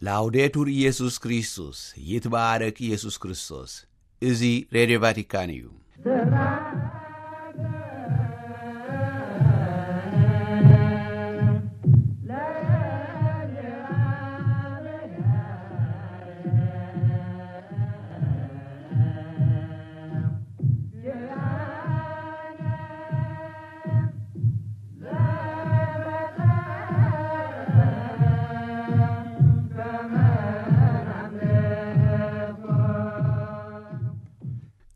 ላውዴቱር ኢየሱስ ክርስቶስ፣ ይትባረክ ኢየሱስ ክርስቶስ። እዚ ሬድዮ ቫቲካን እዩ።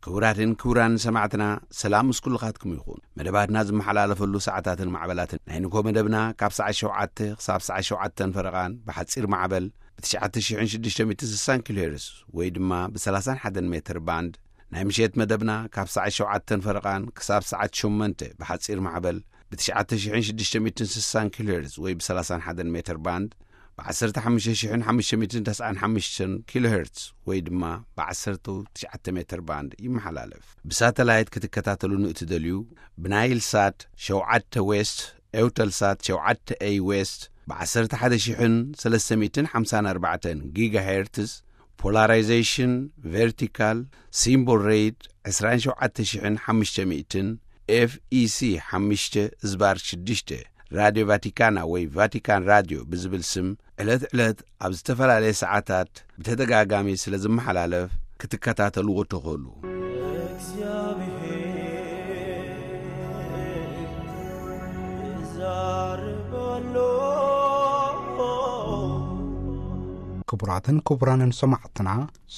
ክቡራትን ክቡራን ሰማዕትና፣ ሰላም ምስ ኩልኻትኩም ይኹን። መደባትና ዝመሓላለፈሉ ሰዓታትን ማዕበላትን፣ ናይ ንግሆ መደብና ካብ ሰዓት ሸውዓተ ክሳብ ሰዓት ሸውዓተን ፈረቓን ብሓጺር ማዕበል ብ ትሽዓተ ሽሕን ሽዱሽተ ሚእትን ስሳን ኪሎ ሄርዝ ወይ ድማ ብ ሰላሳን ሓደን ሜትር ባንድ፣ ናይ ምሸት መደብና ካብ ሰዓት ሸውዓተን ፈረቓን ክሳብ ሰዓት ሸሞንተ ብሓጺር ማዕበል ብ ትሽዓተ ሽሕን ሽዱሽተ ሚእትን ስሳን ኪሎ ሄርዝ ወይ ብ ሰላሳን ሓደን ሜትር ባንድ፣ ብ ዓሰርተ ሓሙሽተ ሽሕን ሓሙሽተ ሚእትን ተስዓን ሓሙሽተን ኪሎ ሄርትዝ ወይ ድማ ብ ዓሰርተ ትሽዓተ ሜትር ባንድ ይመሓላለፍ። ብሳተላይት ክትከታተሉ ንእትደልዩ፣ ብናይል ሳት ሸውዓተ ዌስት፣ ኤውተል ሳት ሸውዓተ ኤይ ዌስት፣ ብ ዓሰርተ ሓደ ሽሕን ሰለስተ ሚእትን ሓምሳን ኣርባዕተን ጊጋ ሄርትዝ፣ ፖላራይዜሽን ቨርቲካል፣ ሲምቦል ሬት ዕስራን ሸውዓተ ሽሕን ሓሙሽተ ሚእትን፣ ኤፍ ኢ ሲ ሓሙሽተ ዝባር ሽዱሽተ፣ ራድዮ ቫቲካና ወይ ቫቲካን ራድዮ ብዝብል ስም ዕለት ዕለት ኣብ ዝተፈላለየ ሰዓታት ብተደጋጋሚ ስለ ዝመሓላለፍ ክትከታተልዎ ትኽእሉ። እግዚኣብሔር ይዛረብ ኣሎ። ክቡራትን ክቡራንን ሰማዕትና፣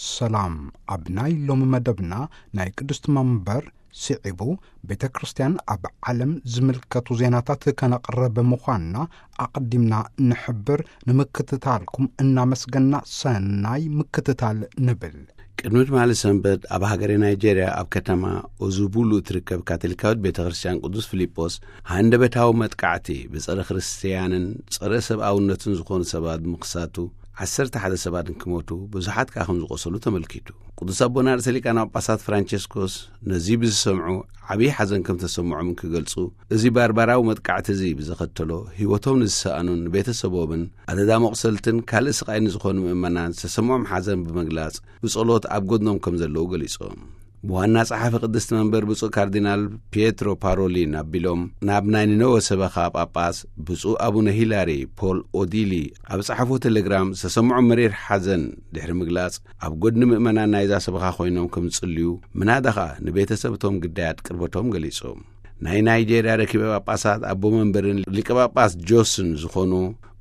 ሰላም። ኣብ ናይ ሎሚ መደብና ናይ ቅድስቲ መንበር ስዒቡ ቤተ ክርስቲያን ኣብ ዓለም ዝምልከቱ ዜናታት ከነቕርብ ምዃንና ኣቐዲምና ንሕብር። ንምክትታልኩም እናመስገና ሰናይ ምክትታል ንብል። ቅድሚ ትማሊ ሰንበት ኣብ ሃገረ ናይጄርያ ኣብ ከተማ ኦዙቡሉ እትርከብ ካቶሊካዊት ቤተ ክርስቲያን ቅዱስ ፊልጶስ ሃንደበታዊ መጥቃዕቲ ብጸረ ክርስትያንን ጸረ ሰብኣውነትን ዝኾኑ ሰባት ብምኽሳቱ ዓሰርተ ሓደ ሰባት እንክሞቱ ብዙሓት ከኣ ከም ዝቖሰሉ ተመልኪቱ። ቅዱስ ኣቦና ርእሰ ሊቃነ ጳጳሳት ፍራንቸስኮስ ነዚ ብዝሰምዑ ዓብዪ ሓዘን ከም ተሰምዖም እንክገልጹ፣ እዚ ባርባራዊ መጥቃዕቲ እዚ ብዘኸተሎ ህይወቶም ንዝሰኣኑን ንቤተሰቦምን ኣደዳ መቑሰልትን ካልእ ስቓይ ንዝኾኑ ምእመናን ዝተሰምዖም ሓዘን ብምግላጽ ብጸሎት ኣብ ጎድኖም ከም ዘለዉ ገሊጾም። ብዋና ጸሓፊ ቅድስቲ መንበር ብፁዕ ካርዲናል ፒየትሮ ፓሮሊን ኣቢሎም ናብ ናይ ኒነወ ሰበኻ ጳጳስ ብፁዕ ኣቡነ ሂላሪ ፖል ኦዲሊ ኣብ ጸሓፎ ቴሌግራም ዝተሰምዖ መሪር ሓዘን ድሕሪ ምግላጽ፣ ኣብ ጎድኒ ምእመናን ናይዛ ሰበኻ ኮይኖም ከም ዝጽልዩ ምናዳ ኸኣ ንቤተሰብ እቶም ግዳያት ቅርበቶም ገሊጾም። ናይ ናይጄርያ ረኪበ ጳጳሳት ኣቦ መንበርን ሊቀ ጳጳስ ጆስን ዝኾኑ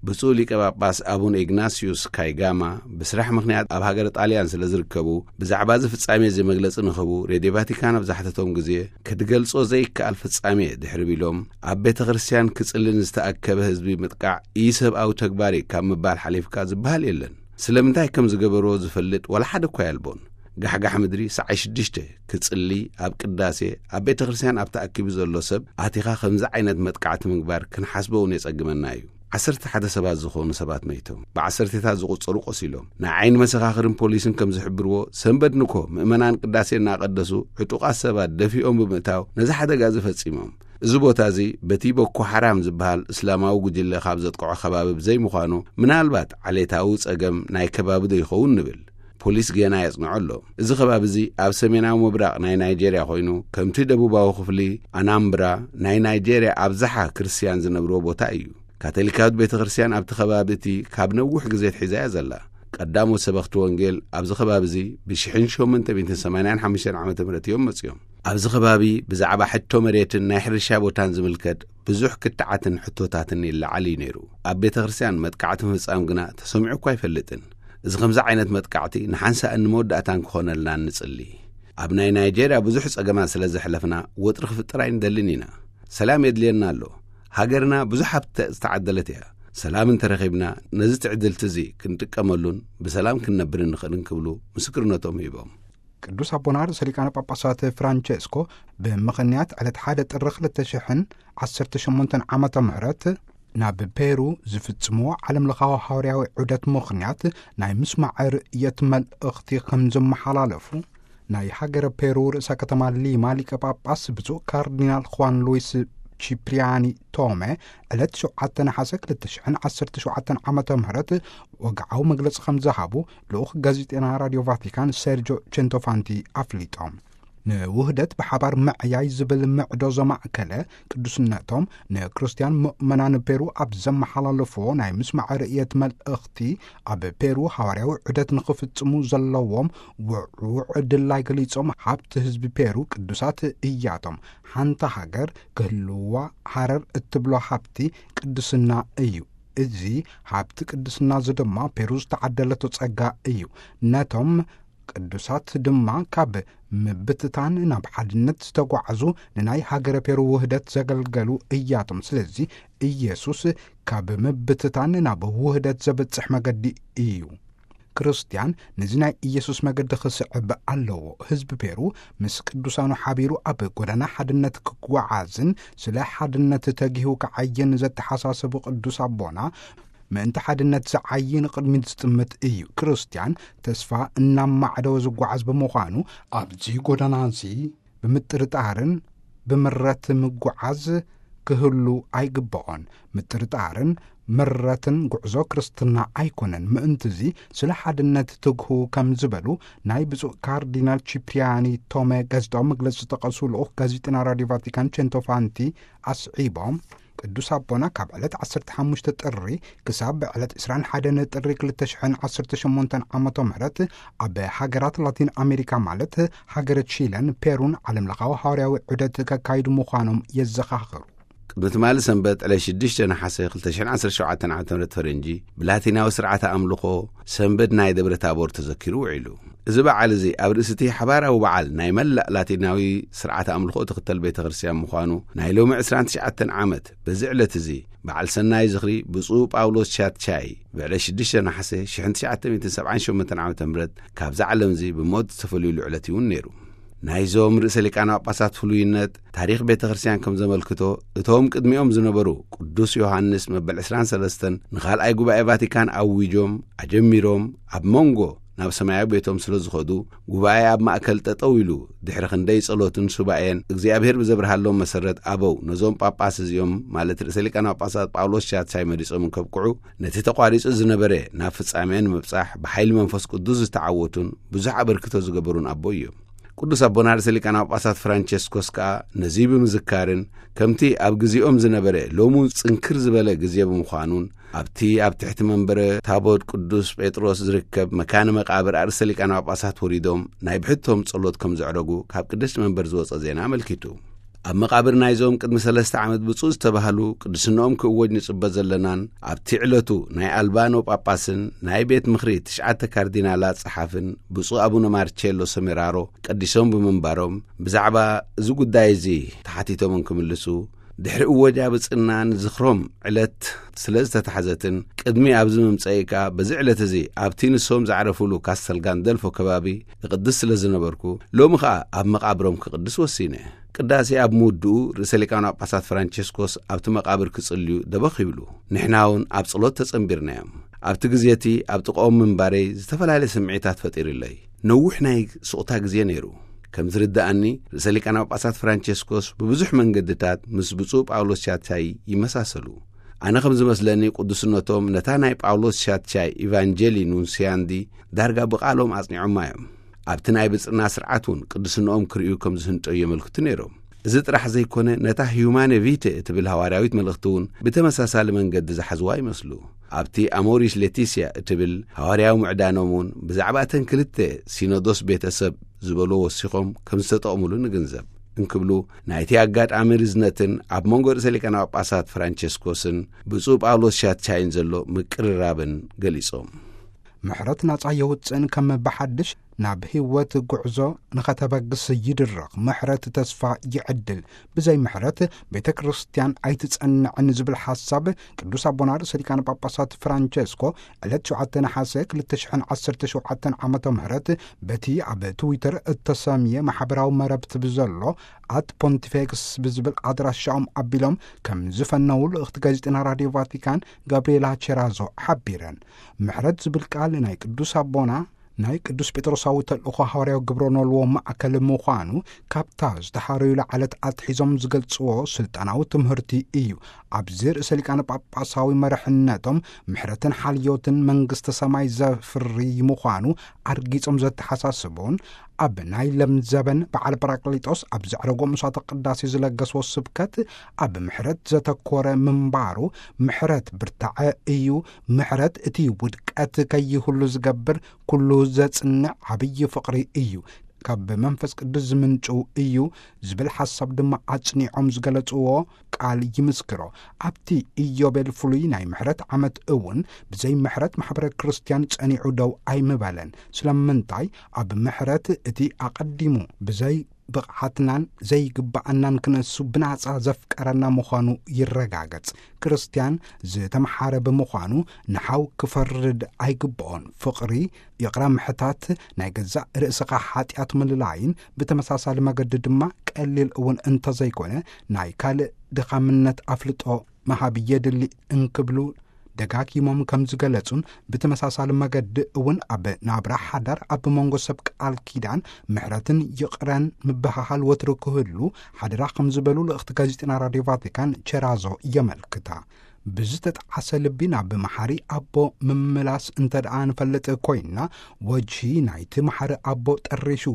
ብፁዕ ሊቀ ጳጳስ ኣቡነ ኢግናስዩስ ካይጋማ ብስራሕ ምኽንያት ኣብ ሃገረ ጣልያን ስለ ዝርከቡ፣ ብዛዕባ እዚ ፍጻሜ እዚ መግለጺ ንኽህቡ ሬድዮ ቫቲካን ኣብ ዝሓተቶም ግዜ፣ ክትገልጾ ዘይከኣል ፍጻሜ ድሕሪ ቢሎም፣ ኣብ ቤተ ክርስቲያን ክጽልን ዝተኣከበ ህዝቢ ምጥቃዕ ኢሰብኣዊ ተግባር እዩ ካብ ምባል ሓሊፍካ ዝበሃል የለን። ስለምንታይ ከም ዝገበርዎ ዝፈልጥ ዋላ ሓደ እኳ የልቦን። ጋሕጋሕ ምድሪ ሰዓይ ሽዱሽተ ክጽሊ ኣብ ቅዳሴ ኣብ ቤተ ክርስቲያን ኣብ ተኣኪቡ ዘሎ ሰብ ኣቲኻ ከምዚ ዓይነት መጥቃዕቲ ምግባር ክንሓስቦ እውን የጸግመና እዩ። ዓሰርተ ሓደ ሰባት ዝኾኑ ሰባት መይቶም፣ ብዓሰርተታት ዝቑጸሩ ቆሲሎም። ናይ ዓይኒ መሰኻኽርን ፖሊስን ከም ዝሕብርዎ፣ ሰንበት ንኮ ምእመናን ቅዳሴ እናቐደሱ ዕጡቓት ሰባት ደፊኦም ብምእታው ነዚ ሓደጋ እዚ ፈጺሞም። እዚ ቦታ እዚ በቲ ቦኮ ሓራም ዝበሃል እስላማዊ ጉጅለ ካብ ዘጥቅዖ ከባቢ ብዘይምዃኑ፣ ምናልባት ዓሌታዊ ጸገም ናይ ከባቢ ዶ ይኸውን ንብል። ፖሊስ ጌና የጽንዖ ኣሎ። እዚ ከባቢ እዚ ኣብ ሰሜናዊ ምብራቕ ናይ ናይጄርያ ኮይኑ፣ ከምቲ ደቡባዊ ክፍሊ ኣናምብራ ናይ ናይጄርያ ኣብዝሓ ክርስትያን ዝነብርዎ ቦታ እዩ። ካቶሊካዊት ቤተ ክርስቲያን ኣብቲ ከባቢ እቲ ካብ ነዊሕ ግዜ ኣትሒዛ እያ ዘላ። ቀዳሞት ሰበኽቲ ወንጌል ኣብዚ ከባቢ እዚ ብሽሕን ሸሞንተ ሚእትን ሰማንያን ሓሙሽተን ዓመተ ምህረት እዮም መጺኦም። ኣብዚ ከባቢ ብዛዕባ ሕቶ መሬትን ናይ ሕርሻ ቦታን ዝምልከት ብዙሕ ክትዓትን ሕቶታትን ይለዓል እዩ ነይሩ። ኣብ ቤተ ክርስቲያን መጥቃዕቲ ምፍጻም ግና ተሰሚዑ እኳ ኣይፈልጥን። እዚ ከምዚ ዓይነት መጥቃዕቲ ንሓንሳእን ንመወዳእታን ክኾነልና ንጽሊ። ኣብ ናይ ናይጄርያ ብዙሕ ጸገማት ስለ ዘሕለፍና ወጥሪ ክፍጠር ኣይንደልን ኢና። ሰላም የድልየና ኣሎ። ሃገርና ብዙሕ ሃብቲ ዝተዓደለት እያ። ሰላም እንተረኺብና ነዚ ትዕድልቲ እዚ ክንጥቀመሉን ብሰላም ክንነብርን ንኽእልን ክብሉ ምስክርነቶም ሂቦም። ቅዱስ ኣቦና ርእሰ ሊቃነ ጳጳሳት ፍራንቸስኮ ብምኽንያት ዕለት ሓደ ጥሪ ክልተ ሽሕን ዓሰርተ ሸሞንተን ዓመተ ምህረት ናብ ፔሩ ዝፍጽምዎ ዓለም ለኻዊ ሃዋርያዊ ዑደት ምኽንያት ናይ ምስማዕ ርእየት መልእኽቲ ከም ዘመሓላለፉ ናይ ሃገረ ፔሩ ርእሰ ከተማ ሊማ ሊቀ ጳጳስ ብፁዕ ካርዲናል ኹዋን ሉዊስ ቺፕሪያኒ ቶመ ዕለት ሸውዓተ ነሓሰ ክልተ ሽሕን ዓሰርተ ሸውዓተን ዓመተ ምህረት ወግዓዊ መግለጺ ከም ዝሃቡ ልኡኽ ጋዜጠና ራድዮ ቫቲካን ሴርጆ ቸንቶፋንቲ ኣፍሊጦም። ንውህደት ብሓባር ምዕያይ ዝብል ምዕዶ ዘማእከለ ቅዱስነቶም ንክርስትያን ምእመናን ፔሩ ኣብ ዘመሓላለፍዎ ናይ ምስማዕ ርእየት መልእኽቲ፣ ኣብ ፔሩ ሃዋርያዊ ዑደት ንኽፍጽሙ ዘለዎም ውዕውዕ ድላይ ገሊጾም፣ ሃብቲ ህዝቢ ፔሩ ቅዱሳት እያቶም፣ ሓንቲ ሃገር ክህልዋ ሃረር እትብሎ ሃብቲ ቅድስና እዩ። እዚ ሃብቲ ቅድስና እዚ ድማ ፔሩ ዝተዓደለቶ ጸጋ እዩ። ነቶም ቅዱሳት ድማ ካብ ምብትታን ናብ ሓድነት ዝተጓዓዙ፣ ንናይ ሃገረ ፔሩ ውህደት ዘገልገሉ እያቶም። ስለዚ ኢየሱስ ካብ ምብትታን ናብ ውህደት ዘብጽሕ መገዲ እዩ። ክርስትያን ነዚ ናይ ኢየሱስ መገዲ ክስዕብ ኣለዎ። ህዝቢ ፔሩ ምስ ቅዱሳኑ ሓቢሩ ኣብ ጎዳና ሓድነት ክጓዓዝን ስለ ሓድነት ተጊሁ ክዓይን ዘተሓሳሰቡ ቅዱስ ኣቦና፣ ምእንቲ ሓድነት ዝዓዪ ንቕድሚት ዝጥምት እዩ። ክርስትያን ተስፋ እናማዕደወ ዝጓዓዝ ብምዃኑ፣ ኣብዚ ጎዳና እዚ ብምጥርጣርን ብምረት ምጉዓዝ ክህሉ ኣይግብኦን። ምጥርጣርን ምረትን ጉዕዞ ክርስትና ኣይኮነን። ምእንትዚ ስለ ሓድነት ትግሁ ከም ዝበሉ ናይ ብፁዕ ካርዲናል ቺፕሪያኒ ቶመ ጋዜጣዊ መግለጺ ዝጠቐሱ ልኡኽ ጋዜጠና ራድዮ ቫቲካን ቸንቶፋንቲ ኣስዒቦም፣ ቅዱስ ኣቦና ካብ ዕለት ዓሰርተ ሓሙሽተ ጥሪ ክሳብ ዕለት ዕስራን ሓደን ጥሪ ክልተ ሽሕን ዓሰርተ ሸሞንተን ዓመተ ምህረት ኣብ ሃገራት ላቲን ኣሜሪካ፣ ማለት ሃገረ ቺለን ፔሩን፣ ዓለምለኻዊ ሃዋርያዊ ዑደት ከካይዱ ምዃኖም የዘኻኽሩ። ቅድሚ ትማሊ ሰንበት ዕለት ሽዱሽተ ነሓሰ ክልተ ሽሕን ዓሰርተ ሸውዓተን ዓመተ ምህረት ፈረንጂ፣ ብላቲናዊ ስርዓተ ኣምልኾ ሰንበት ናይ ደብረ ታቦር ተዘኪሩ ውዒሉ። እዚ በዓል እዚ ኣብ ርእሲ እቲ ሓባራዊ በዓል ናይ መላእ ላቲናዊ ስርዓተ ኣምልኾ ትኽተል ቤተ ክርስቲያን ምዃኑ ናይ ሎሚ ዕስራን ትሽዓተን ዓመት በዚ ዕለት እዚ በዓል ሰናይ ዝኽሪ ብፁዕ ጳውሎስ ሻትቻይ ብዕለት ሽዱሽተ ነሓሰ ሽሕን ትሽዓተ ሚእትን ሰብዓን ሸሞንተን ዓመተ ምህረት ካብዛ ዓለም እዚ ብሞት ዝተፈልዩሉ ዕለት እውን ነይሩ። ናይዞም ርእሰ ሊቃነ ጳጳሳት ፍሉይነት ታሪኽ ቤተ ክርስቲያን ከም ዘመልክቶ፣ እቶም ቅድሚኦም ዝነበሩ ቅዱስ ዮሃንስ መበል ዕስራን ሰለስተን ንኻልኣይ ጉባኤ ቫቲካን ኣዊጆም ኣጀሚሮም፣ ኣብ መንጎ ናብ ሰማያዊ ቤቶም ስለ ዝኸዱ፣ ጉባኤ ኣብ ማእከል ጠጠው ኢሉ፣ ድሕሪ ክንደይ ጸሎትን ሱባኤን እግዚኣብሔር ብዘብርሃሎም መሰረት ኣበው ነዞም ጳጳስ እዚኦም፣ ማለት ርእሰ ሊቃነ ጳጳሳት ጳውሎስ ሻትሻይ መሪጾም እንከብቅዑ፣ ነቲ ተቋሪጹ ዝነበረ ናብ ፍጻሜ ንምብጻሕ ብሓይሊ መንፈስ ቅዱስ ዝተዓወቱን ብዙሕ ኣበርክቶ ዝገበሩን ኣቦ እዮም። ቅዱስ ኣቦና ርእሰ ሊቃነ ጳጳሳት ፍራንቸስኮስ ከኣ ነዚ ብምዝካርን፣ ከምቲ ኣብ ግዜኦም ዝነበረ ሎሚ ጽንክር ዝበለ ግዜ ብምዃኑን፣ ኣብቲ ኣብ ትሕቲ መንበረ ታቦት ቅዱስ ጴጥሮስ ዝርከብ መካነ መቃብር ኣርእስተ ሊቃነ ጳጳሳት ወሪዶም ናይ ብሕቶም ጸሎት ከም ዘዕረጉ ካብ ቅድስቲ መንበር ዝወጸ ዜና ኣመልኪቱ። ኣብ መቃብር ናይዞም ቅድሚ ሰለስተ ዓመት ብፁዕ ዝተባህሉ ቅድስንኦም ክእወጅ ንጽበ ዘለናን ኣብቲ ዕለቱ ናይ ኣልባኖ ጳጳስን ናይ ቤት ምኽሪ ትሽዓተ ካርዲናላት ጸሓፍን ብፁዕ ኣቡነ ማርቼሎ ሰሜራሮ ቀዲሶም ብምንባሮም፣ ብዛዕባ እዚ ጉዳይ እዚ ተሓቲቶም እንክምልሱ፣ ድሕሪ እወጃ ብጽና ንዝኽሮም ዕለት ስለ ዝተታሕዘትን፣ ቅድሚ ኣብዚ ምምጸኢካ በዚ ዕለት እዚ ኣብቲ ንሶም ዝዓረፉሉ ካስተል ጋንደልፎ ከባቢ እቕድስ ስለ ዝነበርኩ፣ ሎሚ ኸኣ ኣብ መቓብሮም ክቕድስ ወሲነ። ቅዳሴ ኣብ ምውድኡ ርእሰ ሊቃነ ጳጳሳት ፍራንቸስኮስ ኣብቲ መቓብር ክጽልዩ ደበኽ ይብሉ። ንሕና እውን ኣብ ጸሎት ተጸንቢርናዮም። ኣብቲ ግዜ እቲ ኣብ ጥቓኦም ምንባረይ ዝተፈላለየ ስምዒታት ፈጢሩለይ። ነዊሕ ናይ ስቕታ ግዜ ነይሩ። ከም ዝርድኣኒ፣ ርእሰ ሊቃነ ጳጳሳት ፍራንቸስኮስ ብብዙሕ መንገድታት ምስ ብፁዕ ጳውሎስ ሻትሻይ ይመሳሰሉ። ኣነ ከም ዝመስለኒ፣ ቅዱስነቶም ነታ ናይ ጳውሎስ ሻትሻይ ኢቫንጀሊ ኑንስያንዲ ዳርጋ ብቓሎም ኣጽኒዖማ እዮም። ኣብቲ ናይ ብጽና ስርዓት እውን ቅዱስንኦም ክርእዩ ከም ዝህንጠዩ የመልክቱ ነይሮም። እዚ ጥራሕ ዘይኮነ፣ ነታ ሁማኔ ቪቴ እትብል ሃዋርያዊት መልእኽቲ እውን ብተመሳሳሊ መንገዲ ዝሓዝዋ ይመስሉ። ኣብቲ ኣሞሪስ ሌቲስያ እትብል ሃዋርያዊ ምዕዳኖም እውን ብዛዕባ እተን ክልተ ሲኖዶስ ቤተሰብ ዝበሎ ወሲኾም ከም ዝተጠቕሙሉ ንግንዘብ። እንክብሉ ናይቲ ኣጋጣሚ ርዝነትን ኣብ መንጎ ርእሰ ሊቃነ ጳጳሳት ፍራንቸስኮስን ብፁዕ ጳውሎስ ሻትሻይን ዘሎ ምቅርራብን ገሊጾም። ምሕረት ናጻ የውጽእን ከም ብሓድሽ ናብ ህይወት ጉዕዞ ንኸተበግስ ይድረኽ። ምሕረት ተስፋ ይዕድል። ብዘይ ምሕረት ቤተ ክርስቲያን ኣይትጸንዕን ዝብል ሓሳብ ቅዱስ ኣቦና ርእሰ ሊቃነ ጳጳሳት ፍራንቸስኮ ዕለት ሸውዓተ ነሓሰ ክልተ ሽሕን ዓሰርተ ሸውዓተን ዓመተ ምህረት በቲ ኣብ ትዊተር እተሰምየ ማሕበራዊ መረብቲ ብዘሎ ኣት ፖንቲፌክስ ብዝብል ኣድራሻኦም ኣቢሎም ከም ዝፈነዉ ልእኽቲ ጋዜጠና ራድዮ ቫቲካን ጋብሪኤላ ቸራዞ ሓቢረን። ምሕረት ዝብል ቃል ናይ ቅዱስ ኣቦና ናይ ቅዱስ ጴጥሮሳዊ ተልእኾ ሃዋርያዊ ግብረ ኖልዎ ማእከል ምዃኑ ካብታ ዝተሓረዩላ ዕለት ኣትሒዞም ዝገልጽዎ ስልጣናዊ ትምህርቲ እዩ። ኣብዚ ርእሰ ሊቃነ ጳጳሳዊ መርሕነቶም ምሕረትን ሓልዮትን መንግስተ ሰማይ ዘፍሪ ምዃኑ ኣርጊጾም ዘተሓሳስቡን፣ ኣብ ናይ ለምዘበን በዓል ጳራቅሊጦስ ኣብ ዘዕረጎ ምሳተ ቅዳሴ ዝለገስዎ ስብከት ኣብ ምሕረት ዘተኮረ ምንባሩ፣ ምሕረት ብርታዐ እዩ፣ ምሕረት እቲ ውድቀት ከይህሉ ዝገብር፣ ኩሉ ዘጽንዕ ዓብዪ ፍቕሪ እዩ፣ ካብ መንፈስ ቅዱስ ዝምንጩ እዩ ዝብል ሓሳብ ድማ ኣጽኒዖም ዝገለጽዎ ቃል ይምስክሮ። ኣብቲ ኢዮቤል ፍሉይ ናይ ምሕረት ዓመት እውን ብዘይ ምሕረት ማሕበረ ክርስቲያን ጸኒዑ ደው ኣይምበለን። ስለምንታይ? ኣብ ምሕረት እቲ ኣቐዲሙ ብዘይ ብቕዓትናን ዘይግብኣናን ክነሱ ብናጻ ዘፍቀረና ምዃኑ ይረጋገጽ። ክርስቲያን ዝተምሓረ ብምዃኑ ንሓው ክፈርድ ኣይግብኦን። ፍቕሪ፣ ይቕረ ምሕታት፣ ናይ ገዛእ ርእስኻ ሓጢኣት ምልላይን ብተመሳሳሊ መገዲ ድማ ቀሊል እውን እንተዘይኮነ ናይ ካልእ ድኻምነት ኣፍልጦ ምሃብ የድሊ እንክብሉ ደጋጊሞም ከም ዝገለጹን፣ ብተመሳሳሊ መገዲ እውን ኣብ ናብራ ሓዳር ኣብ መንጎ ሰብ ቃል ኪዳን ምሕረትን ይቕረን ምብህሃል ወትሩ ክህሉ ሓደራ ከም ዝበሉ ልእኽቲ ጋዜጠና ራድዮ ቫቲካን ቸራዞ የመልክታ። ብዝተጠዓሰ ልቢ ናብ መሓሪ ኣቦ ምምላስ እንተ ደኣ ንፈልጥ ኮይንና፣ ወጅሂ ናይቲ መሓሪ ኣቦ ጠሪሹ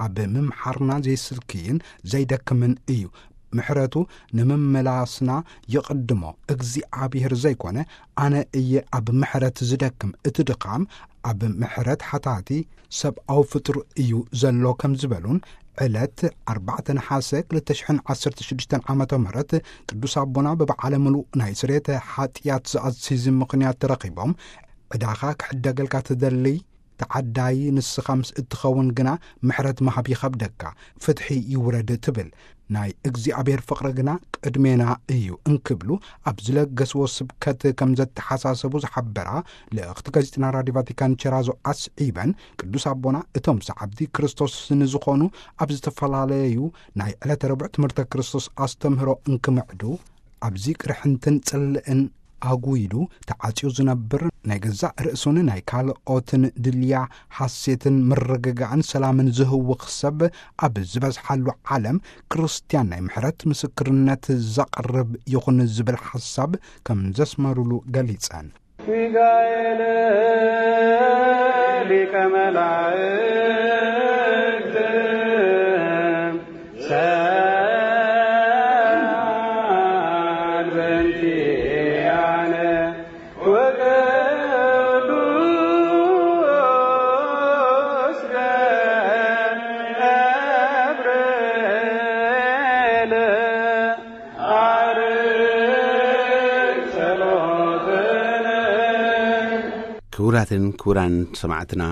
ኣብ ምምሓርና ዘይስልክይን ዘይደክምን እዩ። ምሕረቱ ንምምላስና ይቕድሞ እግዚኣብሔር ዘይኮነ፣ ኣነ እየ ኣብ ምሕረት ዝደክም፣ እቲ ድኻም ኣብ ምሕረት ሓታቲ ሰብኣዊ ፍጡር እዩ ዘሎ ከም ዝበሉን፣ ዕለት ኣርባዕተ ነሓሰ ክልተ ሽሕን ዓሰርተ ሽዱሽተን ዓመተ ምህረት ቅዱስ ኣቦና ብበዓለ ምሉእ ናይ ስርየተ ሓጢኣት ዘኣዝዝ ምኽንያት ተረኺቦም፣ ዕዳኻ ክሕደገልካ ትደሊ ተዓዳዪ ንስኻ ምስ እትኸውን ግና ምሕረት ምሃብ ይኸብደካ፣ ፍትሒ ይውረድ ትብል። ናይ እግዚኣብሔር ፍቕሪ ግና ቅድሜና እዩ እንክብሉ ኣብ ዝለገስዎ ስብከት ከም ዘተሓሳሰቡ ዝሓበራ ልእኽቲ ጋዜጠና ራድዮ ቫቲካን ቸራዞ ኣስዒበን፣ ቅዱስ ኣቦና እቶም ሰዓብቲ ክርስቶስ ንዝኾኑ ኣብ ዝተፈላለዩ ናይ ዕለተ ረቡዕ ትምህርተ ክርስቶስ ኣስተምህሮ እንክምዕዱ፣ ኣብዚ ቅርሕንትን ጽልእን ኣጉይሉ ተዓጽዩ ዝነብር፣ ናይ ገዛእ ርእሱን ናይ ካልኦትን ድልያ ሓሴትን ምርግጋእን ሰላምን ዝህውኽ ሰብ ኣብ ዝበዝሓሉ ዓለም፣ ክርስትያን ናይ ምሕረት ምስክርነት ዘቕርብ ይኹን ዝብል ሓሳብ ከም ዘስመሩሉ ገሊጸን። ሚካኤል ሊቀ መላእክት ሰአል በእንቲአነ ወቅዱስ ገብርኤል አርግ ጸሎትነ። ክቡራትን ክቡራን ሰማዕትና፣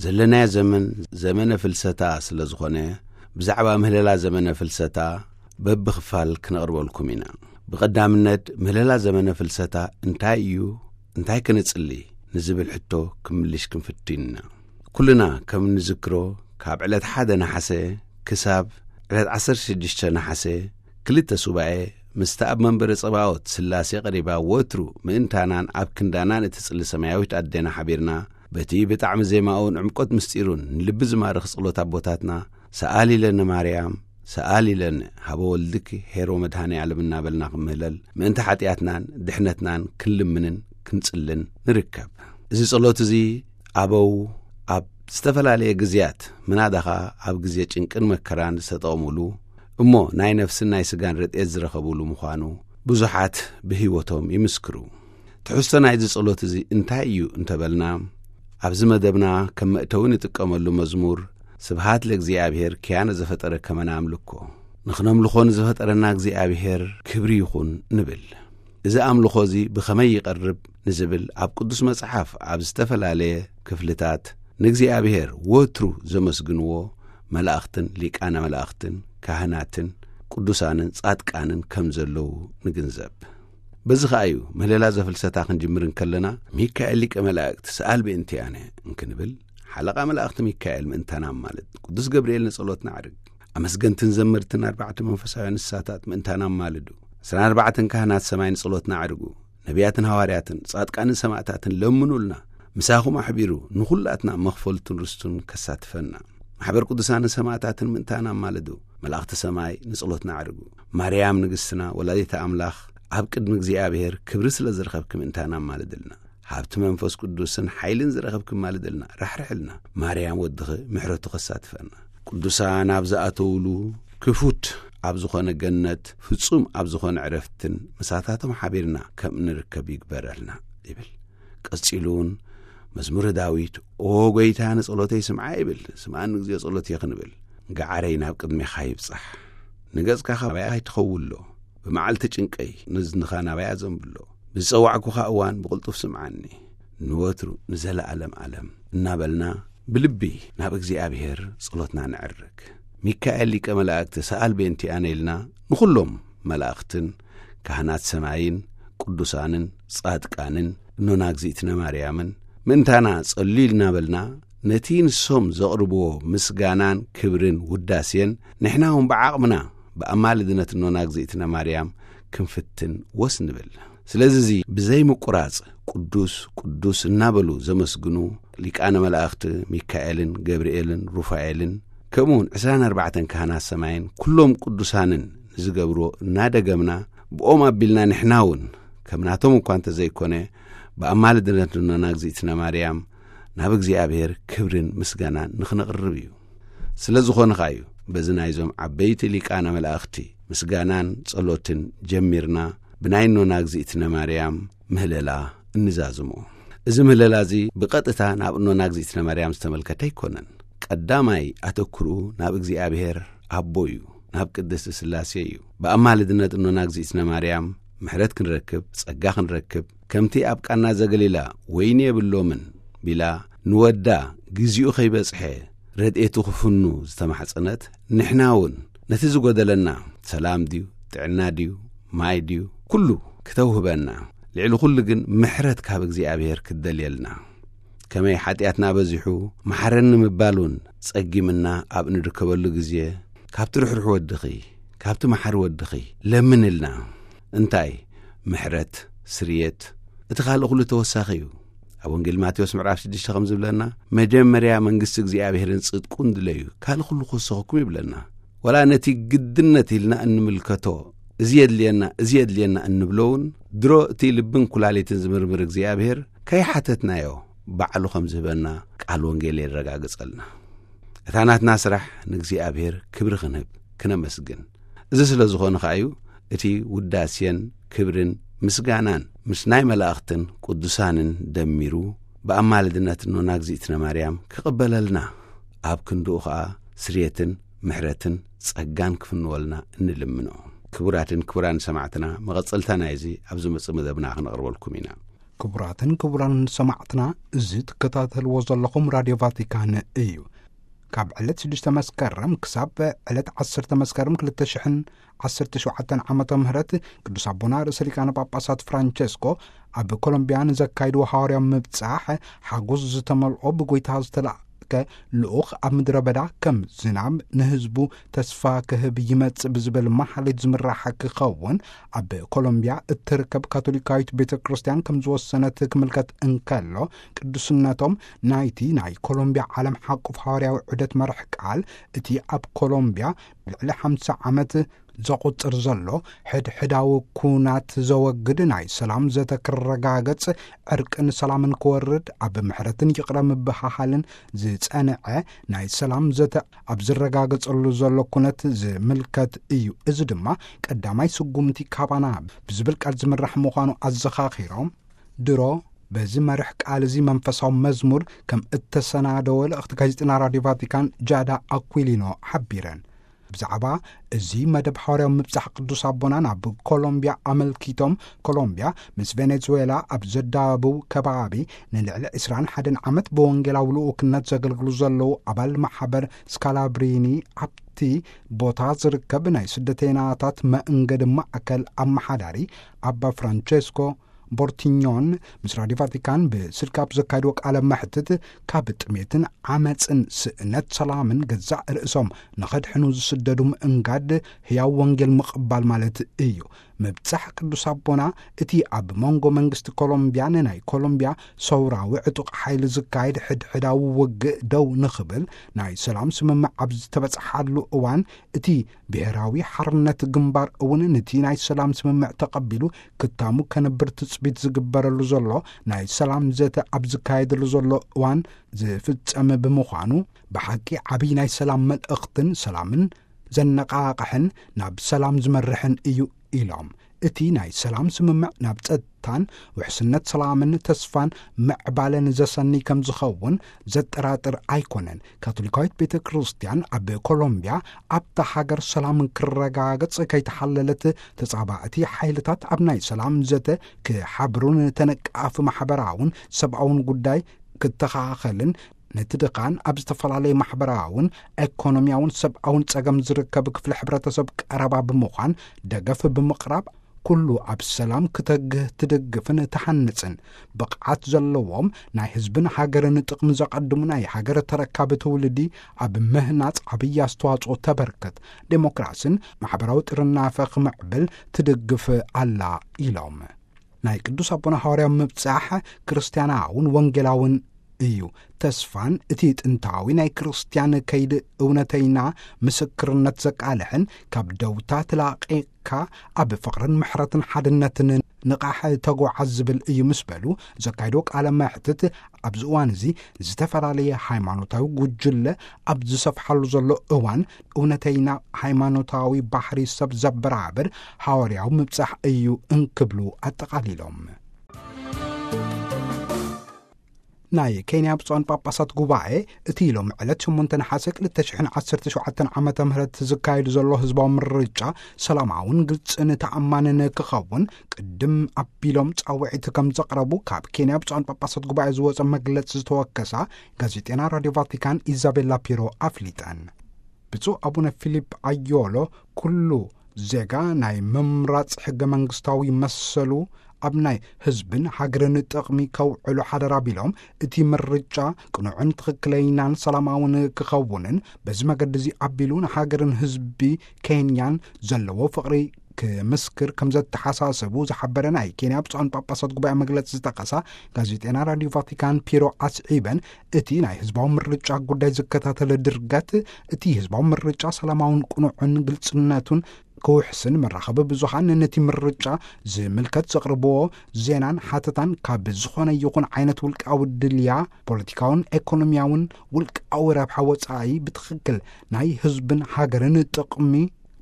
ዘለናዮ ዘመን ዘመነ ፍልሰታ ስለ ዝኾነ፣ ብዛዕባ ምህለላ ዘመነ ፍልሰታ በብኽፋል ክነቕርበልኩም ኢና። ብቐዳምነት፣ ምህለላ ዘመነ ፍልሰታ እንታይ እዩ? እንታይ ክነጽሊ? ንዝብል ሕቶ ክምልሽ ክንፍትን ኢና። ኩልና ከም እንዝክሮ፣ ካብ ዕለት ሓደ ነሓሰ ክሳብ ዕለት ዓሰርተ ሽዱሽተ ነሓሰ፣ ክልተ ሱባኤ፣ ምስቲ ኣብ መንበረ ጸባኦት ስላሴ ቀሪባ ወትሩ ምእንታናን ኣብ ክንዳናን እትጽሊ ሰማያዊት ኣዴና ሓቢርና፣ በቲ ብጣዕሚ ዜማኡን ዕምቆት ምስጢሩን ንልቢ ዝማርኽ ጸሎት ኣቦታትና፣ ሰኣሊ ለነ ማርያም፣ ሰኣሊ ለነ ሀበ ወልድኪ ኄር ወመድኃኔ ዓለም እናበልና ክምህለል፣ ምእንቲ ሓጢኣትናን ድሕነትናን ክንልምንን ክንጽልን ንርከብ። እዚ ጸሎት እዚ ኣበው ኣብ ዝተፈላለየ ግዜያት፣ ምናዳ ኸኣ ኣብ ግዜ ጭንቅን መከራን ዝተጠቕሙሉ፣ እሞ ናይ ነፍስን ናይ ስጋን ረድኤት ዝረኸቡሉ ምዃኑ ብዙሓት ብህይወቶም ይምስክሩ። ትሕዝቶ ናይዚ ጸሎት እዚ እንታይ እዩ እንተበልና፣ ኣብዚ መደብና ከም መእተዊ ንጥቀመሉ መዝሙር፣ ስብሃት ለእግዚኣብሔር ኪያነ ዘፈጠረ ከመ ናምልኮ፣ ንኽነምልኾ ንዝፈጠረና እግዚኣብሔር ክብሪ ይኹን ንብል። እዚ ኣምልኾ እዚ ብኸመይ ይቐርብ ንዝብል፣ ኣብ ቅዱስ መጽሓፍ ኣብ ዝተፈላለየ ክፍልታት ንእግዚኣብሔር ወትሩ ዘመስግንዎ መላእኽትን ሊቃነ መላእኽትን ካህናትን ቅዱሳንን ጻድቃንን ከም ዘለዉ ንግንዘብ። በዚ ኸኣ እዩ ምህለላ ዘፍልሰታ ክንጅምር እንከለና፣ ሚካኤል ሊቀ መላእክት ሰኣል ብእንቲኣነ እንክንብል፣ ሓለቓ መላእኽቲ ሚካኤል ምእንታና ኣማልድ፣ ቅዱስ ገብርኤል ንጸሎትና ኣዕርግ፣ ኣመስገንትን ዘመርትን ኣርባዕተ መንፈሳውያን እንስሳታት ምእንታና ኣማልዱ፣ ዕስራን ኣርባዕተን ካህናት ሰማይ ንጸሎትና ኣዕርጉ፣ ነቢያትን ሃዋርያትን ጻድቃንን ሰማዕታትን ለምኑልና፣ ምሳኹም ኣሕቢሩ ንኹላትና መኽፈልቱን ርስቱን ከሳትፈና። ማሕበር ቅዱሳንን ሰማዕታትን ምእንታና ኣማልዱ። መላእኽቲ ሰማይ ንጸሎትና ኣዕርጉ። ማርያም ንግስትና ወላዲተ ኣምላኽ ኣብ ቅድሚ እግዚኣብሔር ክብሪ ስለ ዝረኸብኪ ምእንታና ኣማልድልና። ሃብቲ መንፈስ ቅዱስን ሓይልን ዝረኸብኪ ኣማልድልና። ራሕርሕልና። ማርያም ወድኺ ምሕረቱ ከሳትፈና። ቅዱሳን ኣብ ዝኣተውሉ ክፉት ኣብ ዝኾነ ገነት ፍጹም ኣብ ዝኾነ ዕረፍትን ምሳታቶም ሓቢርና ከም እንርከብ ይግበረልና ይብል። ቀጺሉ እውን መዝሙረ ዳዊት፣ "ኦ ጐይታ፣ ንጸሎተይ ስምዓ" ይብል። "ስምዓኒ እግዚኣብሔር ጸሎተይ" ክንብል፣ "ገዓረይ ናብ ቅድሜኻ ይብጻሕ። ንገጽካ ካባይ ኣይትኸውሎ። ብመዓልቲ ጭንቀይ ንዝንኻ ናባይ ኣዘንብሎ። ብዝጸዋዕኩኻ እዋን ብቕልጡፍ ስምዓኒ። ንወትሩ ንዘለኣለም ኣለም" እናበልና ብልቢ ናብ እግዚኣብሔር ጸሎትና ነዕርግ። ሚካኤል ሊቀ መላእክት ሰኣል በእንቲኣነ ኢልና ንኹሎም መላእኽትን ካህናት ሰማይን ቅዱሳንን ጻድቃንን እኖና እግዚኣብነ ማርያምን ምእንታና ጸልዩ እናበልና፣ ነቲ ንሶም ዘቕርብዎ ምስጋናን ክብርን ውዳሴን ንሕና እውን ብዓቕምና ብኣማልድነት እኖና እግዚኣብነ ማርያም ክንፍትን ወስ ንብል። ስለዚ እዚ ብዘይ ምቁራጽ ቅዱስ ቅዱስ እናበሉ ዘመስግኑ ሊቃነ መላእኽቲ ሚካኤልን ገብርኤልን ሩፋኤልን ከምኡውን ዕስራን ኣርባዕተን ካህናት ሰማይን ኩሎም ቅዱሳንን ንዝገብርዎ እናደገምና፣ ብኦም ኣቢልና ንሕና እውን ከም ናቶም እኳ እንተዘይኮነ ብኣማልድነት እኖና እግዚኣብነ ማርያም ናብ እግዚኣብሔር ክብርን ምስጋናን ንኽነቕርብ እዩ። ስለ ዝኾነ ኸኣ እዩ በዚ ናይዞም ዓበይቲ ሊቃነ መላእኽቲ ምስጋናን ጸሎትን ጀሚርና ብናይ እኖና እግዚኣብነ ማርያም ምህለላ እንዛዝሞ። እዚ ምህለላ እዚ ብቐጥታ ናብ እኖና እግዚኣብነ ማርያም ዝተመልከተ ኣይኮነን። ቀዳማይ ኣተኩርኡ ናብ እግዚኣብሔር ኣቦ እዩ፣ ናብ ቅድስቲ ስላሴ እዩ። ብኣማልድነት እኖና እግዚኣብነ ማርያም ምሕረት ክንረክብ፣ ጸጋ ክንረክብ፣ ከምቲ ኣብ ቃና ዘገሊላ ወይኒ የብሎምን ቢላ ንወዳ ግዜኡ ከይበጽሐ ረድኤቱ ክፍኑ ዝተማሕጸነት፣ ንሕና እውን ነቲ ዝጎደለና ሰላም ድዩ፣ ጥዕና ድዩ፣ ማይ ድዩ፣ ኩሉ ክተውህበና፣ ልዕሊ ኩሉ ግን ምሕረት ካብ እግዚኣብሔር ክትደልየልና። ከመይ ሓጢኣትና በዚሑ መሓረኒ ምባል እውን ጸጊምና ኣብ እንርከበሉ ግዜ፣ ካብቲ ርሕሩሕ ወድኺ፣ ካብቲ መሓሪ ወድኺ ለምንልና። እንታይ? ምሕረት፣ ስርየት፣ እቲ ካልእ ኩሉ ተወሳኺ እዩ። ኣብ ወንጌል ማቴዎስ ምዕራፍ ሽዱሽተ ከም ዝብለና፣ "መጀመርያ መንግስቲ እግዚኣብሔርን ጽድቁን ድለዩ፣ ካልእ ኩሉ ክወሰኸኩም" ይብለና። ወላ ነቲ ግድነት ኢልና እንምልከቶ፣ "እዚ የድልየና፣ እዚ የድልየና" እንብሎ እውን፣ ድሮ እቲ ልብን ኩላሊትን ዝምርምር እግዚኣብሔር ከይሓተትናዮ ባዕሉ ከም ዝህበና ቃል ወንጌል የረጋግጸልና። እታ ናትና ስራሕ ንእግዚኣብሔር ክብሪ ክንህብ፣ ክነመስግን። እዚ ስለ ዝኾነ ኸኣ እዩ እቲ ውዳሴን ክብርን ምስጋናን ምስ ናይ መላእኽትን ቅዱሳንን ደሚሩ ብኣማልድነት እኖና እግዚኣብነ ማርያም ክቕበለልና፣ ኣብ ክንድኡ ኸኣ ስርየትን ምሕረትን ጸጋን ክፍንወልና እንልምኖ። ክቡራትን ክቡራን ሰማዕትና፣ መቐጸልታ ናይዚ ኣብ ዝመጽእ መደብና ክነቕርበልኩም ኢና። ክቡራትን ክቡራን ሰማዕትና፣ እዚ ትከታተልዎ ዘለኹም ራድዮ ቫቲካን እዩ። ካብ ዕለት ሽዱሽተ መስከረም ክሳብ ዕለት ዓሰርተ መስከረም ክልተ ሽሕን ዓሰርተ ሸውዓተን ዓመተ ምህረት ቅዱስ ኣቦና ርእሰ ሊቃነ ጳጳሳት ፍራንቸስኮ ኣብ ኮሎምቢያ ንዘካይድዎ ሃዋርያዊ ምብጻሕ ሓጎስ ዝተመልኦ ብጎይታ ዝተላእከ ልኡኽ ኣብ ምድረ በዳ ከም ዝናብ ንህዝቡ ተስፋ ክህብ ይመጽእ ብዝብል መሓሌት ዝምራሕ ክኸውን ኣብ ኮሎምቢያ እትርከብ ካቶሊካዊት ቤተ ክርስቲያን ከም ዝወሰነት ክምልከት እንከሎ፣ ቅዱስነቶም ናይቲ ናይ ኮሎምቢያ ዓለም ሓቁፍ ሃዋርያዊ ዑደት መርሕ ቃል እቲ ኣብ ኮሎምቢያ ልዕሊ ሓምሳ ዓመት ዘቑጽር ዘሎ ሕድሕዳዊ ኩናት ዘወግድ ናይ ሰላም ዘተ ክረጋገጽ፣ ዕርቅን ሰላምን ክወርድ፣ ኣብ ምሕረትን ይቕረ ምብሃሃልን ዝጸንዐ ናይ ሰላም ዘተ ኣብ ዝረጋገጸሉ ዘሎ ኩነት ዝምልከት እዩ። እዚ ድማ ቀዳማይ ስጉምቲ ካባና ብዝብል ቃል ዝምራሕ ምዃኑ ኣዘኻኺሮም፣ ድሮ በዚ መርሕ ቃል እዚ መንፈሳዊ መዝሙር ከም እተሰናደወ ልእኽቲ ጋዜጠና ራድዮ ቫቲካን ጃዳ ኣኩሊኖ ሓቢረን። ብዛዕባ እዚ መደብ ሓዋርያዊ ምብጻሕ ቅዱስ ኣቦና ናብ ኮሎምቢያ ኣመልኪቶም፣ ኮሎምቢያ ምስ ቬኔዙዌላ ኣብ ዘዳብው ከባቢ ንልዕሊ ዕስራን ሓደን ዓመት ብወንጌላዊ ልኡክነት ዘገልግሉ ዘለዉ ኣባል ማሕበር ስካላብሪኒ ኣብቲ ቦታ ዝርከብ ናይ ስደተይናታት መእንገዲ ማእከል ኣመሓዳሪ ኣባ ፍራንቸስኮ ቦርቲኞን ምስ ራዲዮ ቫቲካን ብስልኪ ኣብ ዘካየድዎ ቃለ መሕትት፣ ካብ ጥሜትን ዓመፅን ስእነት ሰላምን ገዛእ ርእሶም ንኸድሕኑ ዝስደዱ ምእንጋድ ህያው ወንጌል ምቕባል ማለት እዩ። ምብጻሕ ቅዱስ ኣቦና፣ እቲ ኣብ መንጎ መንግስቲ ኮሎምቢያን ናይ ኮሎምቢያ ሰውራዊ ዕጡቕ ሓይሊ ዝካየድ ሕድሕዳዊ ውግእ ደው ንኽብል ናይ ሰላም ስምምዕ ኣብ ዝተበጽሓሉ እዋን፣ እቲ ብሄራዊ ሓርነት ግንባር እውን ነቲ ናይ ሰላም ስምምዕ ተቐቢሉ ክታሙ ከንብር ትጽቢት ዝግበረሉ ዘሎ ናይ ሰላም ዘተ ኣብ ዝካየደሉ ዘሎ እዋን ዝፍጸም ብምዃኑ፣ ብሓቂ ዓብዪ ናይ ሰላም መልእኽትን ሰላምን ዘነቓቕሕን ናብ ሰላም ዝመርሕን እዩ ኢሎም። እቲ ናይ ሰላም ስምምዕ ናብ ጸጥታን ውሕስነት ሰላምን ተስፋን ምዕባለን ዘሰኒ ከም ዝኸውን ዘጠራጥር ኣይኮነን። ካቶሊካዊት ቤተ ክርስቲያን ኣብ ኮሎምቢያ ኣብታ ሃገር ሰላም ክረጋገጽ ከይተሓለለት፣ ተጻባእቲ ሓይልታት ኣብ ናይ ሰላም ዘተ ክሓብሩን ተነቃፊ ማሕበራውን ሰብኣውን ጉዳይ ክተኻኸልን፣ ነቲ ድኻን ኣብ ዝተፈላለየ ማሕበራውን ኤኮኖሚያውን ሰብኣውን ጸገም ዝርከብ ክፍሊ ሕብረተሰብ ቀረባ ብምዃን ደገፍ ብምቕራብ፣ ኩሉ ኣብ ሰላም ክተግህ ትድግፍን ትሃንጽን ብቕዓት ዘለዎም ናይ ህዝብን ሃገርን ጥቕሚ ዘቐድሙ ናይ ሃገር ተረካቢ ትውልዲ ኣብ ምህናጽ ዓብዪ ኣስተዋጽኦ ተበርክት፣ ዴሞክራስን ማሕበራዊ ጥርናፈ ክምዕብል ትድግፍ ኣላ ኢሎም። ናይ ቅዱስ ኣቦና ሃዋርያዊ ምብጻሕ ክርስትያናውን ወንጌላውን እዩ። ተስፋን እቲ ጥንታዊ ናይ ክርስትያን ከይዲ እውነተይና ምስክርነት ዘቃልሕን ካብ ደውታ ተላቒቕካ ኣብ ፍቕርን ምሕረትን ሓድነትን ንቓሕ ተጓዓዝ ዝብል እዩ ምስ በሉ፣ ዘካየዶ ቃለ መሕትት፣ ኣብዚ እዋን እዚ ዝተፈላለየ ሃይማኖታዊ ጉጅለ ኣብ ዝሰፍሓሉ ዘሎ እዋን፣ እውነተይና ሃይማኖታዊ ባህሪ ሰብ ዘበራብር ሃዋርያዊ ምብጻሕ እዩ እንክብሉ ኣጠቓሊሎም። ናይ ኬንያ ብፁዓን ጳጳሳት ጉባኤ፣ እቲ ሎም ዕለት ሸሞንተ ነሓሰ ክልተ ሽሕን ዓሰርተ ሸውዓተን ዓመተ ምህረት ዝካየድ ዘሎ ህዝባዊ ምርጫ ሰላማውን ግልጽን ተኣማንን ክኸውን ቅድም ኣቢሎም ጻውዒት ከም ዘቕረቡ ካብ ኬንያ ብፁዓን ጳጳሳት ጉባኤ ዝወጸ መግለጺ ዝተወከሳ ጋዜጤና ራድዮ ቫቲካን ኢዛቤላ ፒሮ ኣፍሊጠን። ብፁዕ ኣቡነ ፊሊፕ ኣዮሎ፣ ኩሉ ዜጋ ናይ ምምራጽ ሕገ መንግስታዊ መሰሉ ኣብ ናይ ህዝብን ሃገርን ጥቕሚ ከውዕሉ ሓደራ ቢሎም፣ እቲ ምርጫ ቅኑዕን ትኽክለይናን ሰላማውን ክኸውንን በዚ መገዲ እዚ ኣቢሉ ንሃገርን ህዝቢ ኬንያን ዘለዎ ፍቕሪ ክምስክር ከም ዘተሓሳሰቡ ዝሓበረ ናይ ኬንያ ብፁዓን ጳጳሳት ጉባኤ መግለጺ ዝጠቀሳ ጋዜጤና ራዲዮ ቫቲካን ፒሮ ኣስዒበን፣ እቲ ናይ ህዝባዊ ምርጫ ጉዳይ ዝከታተለ ድርገት፣ እቲ ህዝባዊ ምርጫ ሰላማውን ቅኑዕን ግልጽነቱን ክውሕስን፣ መራኸቢ ብዙሃን ነቲ ምርጫ ዝምልከት ዘቕርብዎ ዜናን ሓተታን ካብ ዝኾነ ይኹን ዓይነት ውልቃዊ ድልያ፣ ፖለቲካውን ኤኮኖሚያውን ውልቃዊ ረብሓ ወጻኢ ብትኽክል ናይ ህዝብን ሃገርን ጥቕሚ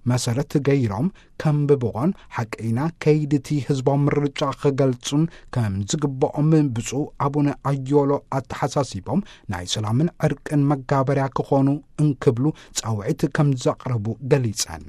መሰረት ገይሮም ከንብብዎን ሓቀይና ከይዲ እቲ ህዝባዊ ምርጫ ክገልጹን ከም ዝግብኦም ብፁዕ ኣቡነ ኣዮሎ ኣተሓሳሲቦም፣ ናይ ሰላምን ዕርቅን መጋበርያ ክኾኑ እንክብሉ ጻውዒት ከም ዘቕረቡ ገሊጸን።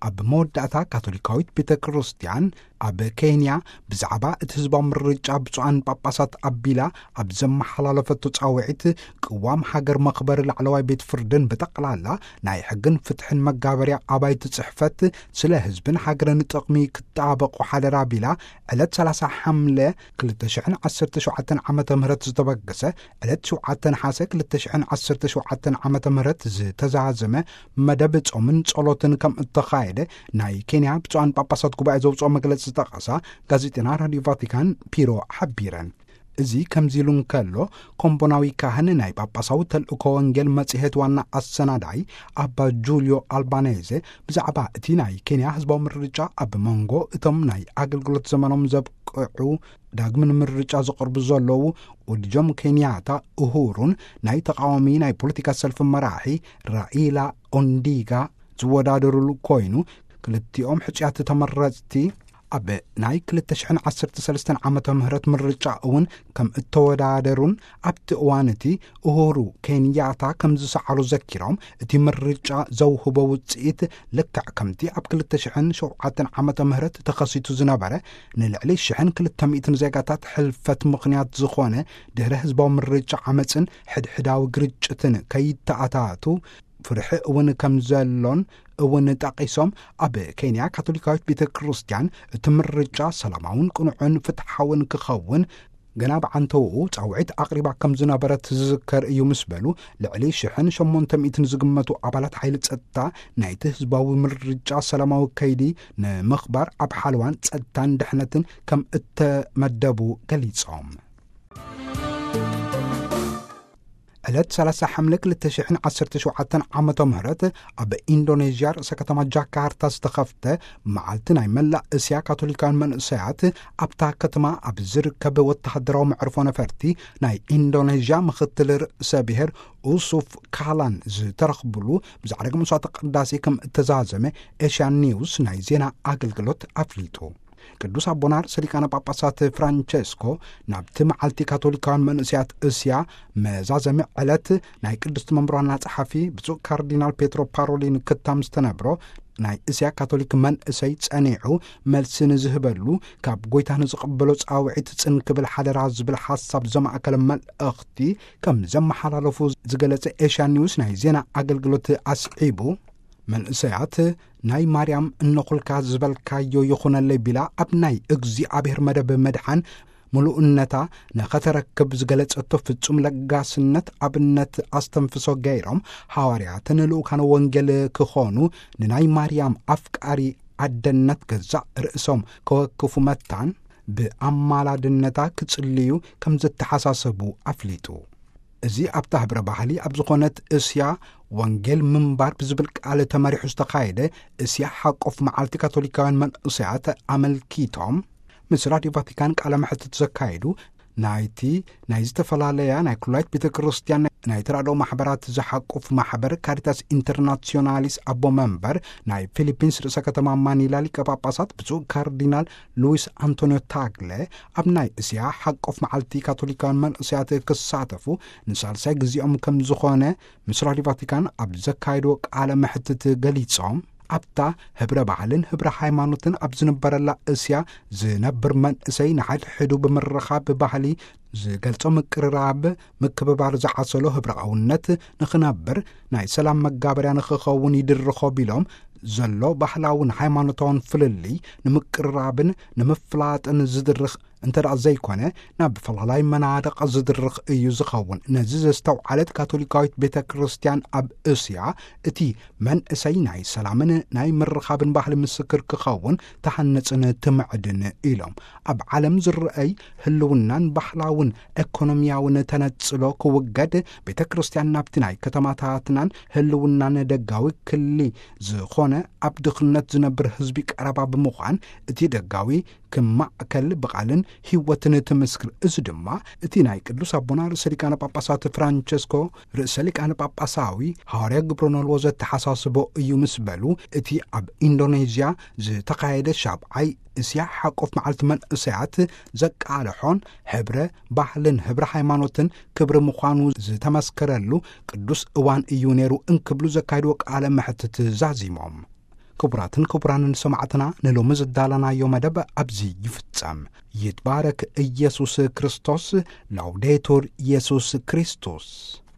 ኣብ መወዳእታ፣ ካቶሊካዊት ቤተ ክርስቲያን ኣብ ኬንያ ብዛዕባ እቲ ህዝባዊ ምርጫ ብፁዓን ጳጳሳት ኣቢላ ኣብ ዘመሓላለፈቶ ጻውዒት፣ ቅዋም ሃገር መኽበሪ ላዕለዋይ ቤት ፍርድን ብጠቕላላ ናይ ሕግን ፍትሕን መጋበርያ ኣባይቲ ጽሕፈት ስለ ህዝብን ሃገርን ጥቕሚ ክጣበቑ ሓደራ ቢላ፣ ዕለት ሰላሳ ሓምለ ክልተ ሽሕን ዓሰርተ ሸውዓተን ዓመተ ምህረት ዝተበገሰ ዕለት ሸውዓተ ነሓሰ ክልተ ሽሕን ዓሰርተ ሸውዓተን ዓመተ ምህረት ዝተዛዘመ መደብ ጾምን ጸሎትን ከም እተኻየደ ናይ ኬንያ ብፁዓን ጳጳሳት ጉባኤ ዘውጽኦ መግለጺ ዝጠቐሳ ጋዜጠና ራድዮ ቫቲካን ፒሮ ሓቢረን። እዚ ከምዚ ኢሉ እንከሎ፣ ኮምቦናዊ ካህን ናይ ጳጳሳዊ ተልእኮ ወንጌል መጽሔት ዋና ኣሰናዳይ ኣባ ጁልዮ ኣልባኔዘ ብዛዕባ እቲ ናይ ኬንያ ህዝባዊ ምርጫ ኣብ መንጎ እቶም ናይ ኣገልግሎት ዘመኖም ዘብቅዑ ዳግም ንምርጫ ዝቐርቡ ዘለዉ ወዲ ጆም ኬንያታ ኡሁሩን ናይ ተቃዋሚ ናይ ፖለቲካ ሰልፊ መራሒ ራኢላ ኦንዲጋ ዝወዳደሩሉ ኮይኑ፣ ክልቲኦም ሕጹያት ተመረጽቲ ኣብ ናይ ክልተ ሽሕን ዓሰርተ ሰለስተን ዓመተ ምህረት ምርጫ እውን ከም እተወዳደሩን ኣብቲ እዋን እቲ ኡሁሩ ኬንያታ ከም ዝሰዓሩ ዘኪሮም፣ እቲ ምርጫ ዘውህቦ ውጽኢት ልክዕ ከምቲ ኣብ ክልተ ሽሕን ሸውዓተን ዓመተ ምህረት ተኸሲቱ ዝነበረ ንልዕሊ ሽሕን ክልተ ሚእትን ዜጋታት ሕልፈት ምኽንያት ዝኾነ ድሕሪ ህዝባዊ ምርጫ ዓመጽን ሕድሕዳዊ ግርጭትን ከይተኣታቱ ፍርሒ እውን ከም ዘሎን እውን ጠቒሶም፣ ኣብ ኬንያ ካቶሊካዊት ቤተ ክርስቲያን እቲ ምርጫ ሰላማውን ቅኑዕን ፍትሓውን ክኸውን ገና ብዓንተውኡ ጻውዒት ኣቕሪባ ከም ዝነበረት ዝዝከር እዩ ምስ በሉ፣ ልዕሊ ሽሕን ሸሞንተ ሚእትን ዝግመቱ ኣባላት ሓይሊ ጸጥታ ናይቲ ህዝባዊ ምርጫ ሰላማዊ ከይዲ ንምኽባር ኣብ ሓለዋን ጸጥታን ድሕነትን ከም እተመደቡ ገሊጾም። ዕለት ሰላሳ ሓምለ ክልተ ሽሕን ዓሰርተ ሸውዓተን ዓመተ ምህረት ኣብ ኢንዶኔዥያ ርእሰ ከተማ ጃካርታ ዝተኸፍተ መዓልቲ ናይ መላእ እስያ ካቶሊካውያን መንእሰያት፣ ኣብታ ከተማ ኣብ ዝርከብ ወተሃደራዊ መዕርፎ ነፈርቲ ናይ ኢንዶኔዥያ ምኽትል ርእሰ ብሔር ኡሱፍ ካላን ዝተረኽብሉ ብዛዕባ መስዋዕተ ቅዳሴ ከም እተዛዘመ ኤሽያን ኒውስ ናይ ዜና ኣገልግሎት ኣፍሊጡ። ቅዱስ ኣቦና ርእሰ ሊቃነ ጳጳሳት ፍራንቸስኮ ናብቲ መዓልቲ ካቶሊካውያን መንእሰያት እስያ መዛዘሚ ዕለት ናይ ቅድስቲ መንበር ዋና ጸሓፊ ብፁዕ ካርዲናል ፔትሮ ፓሮሊን ክታም ዝተነብሮ፣ ናይ እስያ ካቶሊክ መንእሰይ ጸኒዑ መልሲ ንዝህበሉ፣ ካብ ጎይታ ንዝቕበሎ ጻውዒት ጽን ክብል ሓደራ ዝብል ሓሳብ ዘማእከለ መልእኽቲ ከም ዘመሓላለፉ ዝገለጸ ኤሽያ ኒውስ ናይ ዜና ኣገልግሎት ኣስዒቡ፣ መንእሰያት ናይ ማርያም እነኹልካ ዝበልካዮ ይኹነለይ ቢላ ኣብ ናይ እግዚኣብሔር መደብ መድሓን ምሉእነታ ንኸተረክብ ዝገለጸቶ ፍጹም ለጋስነት ኣብነት ኣስተንፍሶ ገይሮም፣ ሃዋርያትን ልኡካነ ወንጌል ክኾኑ፣ ንናይ ማርያም ኣፍቃሪ ኣደነት ገዛእ ርእሶም ከወክፉ መታን ብኣማላድነታ ክጽልዩ ከም ዝተሓሳሰቡ ኣፍሊጡ። እዚ ኣብታ ህብረ ባህሊ ኣብ ዝኾነት እስያ ወንጌል ምንባር ብዝብል ቃል ተመሪሑ ዝተኻየደ እስያ ሓቆፍ መዓልቲ ካቶሊካውያን መንእሰያት ኣመልኪቶም ምስ ራድዮ ቫቲካን ቃለ መሕትት ዘካየዱ፣ ናይቲ ናይ ዝተፈላለያ ናይ ኩላይት ቤተ ክርስቲያን ናይ ተራድኦ ማሕበራት ዝሓቁፍ ማሕበር ካሪታስ ኢንተርናሲዮናሊስ ኣቦ መንበር ናይ ፊሊፒንስ ርእሰ ከተማ ማኒላ ሊቀ ጳጳሳት ብፁዕ ካርዲናል ሉዊስ ኣንቶኒዮ ታግለ፣ ኣብ ናይ እስያ ሓቆፍ መዓልቲ ካቶሊካውያን መንእሰያት ክሳተፉ ንሳልሳይ ግዜኦም ከም ዝኾነ ምስ ራድዮ ቫቲካን ኣብ ዘካየድዎ ቃለ መሕትት ገሊጾም፣ ኣብታ ህብረ ባህልን ህብረ ሃይማኖትን ኣብ ዝንበረላ እስያ ዝነብር መንእሰይ ንሓድሕዱ ብምርኻብ ባህሊ ዝገልጾ ምቅርራብ፣ ምክብባር ዝዓሰሎ ህብረኣውነት ንኽነብር ናይ ሰላም መጋበርያ ንኽኸውን ይድርኾ ቢሎም፣ ዘሎ ባህላውን ሃይማኖታውን ፍልልይ ንምቅርራብን ንምፍላጥን ዝድርኽ እንተ ደኣ ዘይኮነ፣ ናብ ፈላላይ መናድቕ ዝድርኽ እዩ ዝኸውን። ነዚ ዘስተውዓለት ካቶሊካዊት ቤተ ክርስቲያን ኣብ እስያ፣ እቲ መንእሰይ ናይ ሰላምን ናይ ምርኻብን ባህሊ ምስክር ክኸውን ትሃንጽን ትምዕድን ኢሎም። ኣብ ዓለም ዝረኣይ ህልውናን ባህላውን ኤኮኖሚያውን ተነጽሎ ክውገድ፣ ቤተ ክርስቲያን ናብቲ ናይ ከተማታትናን ህልውናን ደጋዊ ክሊ ዝኾነ ኣብ ድኽነት ዝነብር ህዝቢ ቀረባ ብምዃን፣ እቲ ደጋዊ ክማእከል ብቓልን ህይወትን ትምስክር። እዚ ድማ እቲ ናይ ቅዱስ ኣቦና ርእሰ ሊቃነ ጳጳሳት ፍራንቸስኮ ርእሰ ሊቃነ ጳጳሳዊ ሃዋርያ ግብረ ኖልዎ ዘተሓሳስቦ እዩ ምስ በሉ፣ እቲ ኣብ ኢንዶኔዥያ ዝተኻየደ ሻብዓይ እስያ ሓቆፍ መዓልቲ መንእሰያት ዘቃልሖን ህብረ ባህልን ህብረ ሃይማኖትን ክብሪ ምዃኑ ዝተመስከረሉ ቅዱስ እዋን እዩ ነይሩ እንክብሉ ዘካየድዎ ቃለ መሕትት ዛዚሞም። ክቡራትን ክቡራንን ሰማዕትና፣ ንሎሚ ዝዳለናዮ መደብ ኣብዚ ይፍጸም። ይትባረክ ኢየሱስ ክርስቶስ። ላውዴቱር ኢየሱስ ክርስቶስ።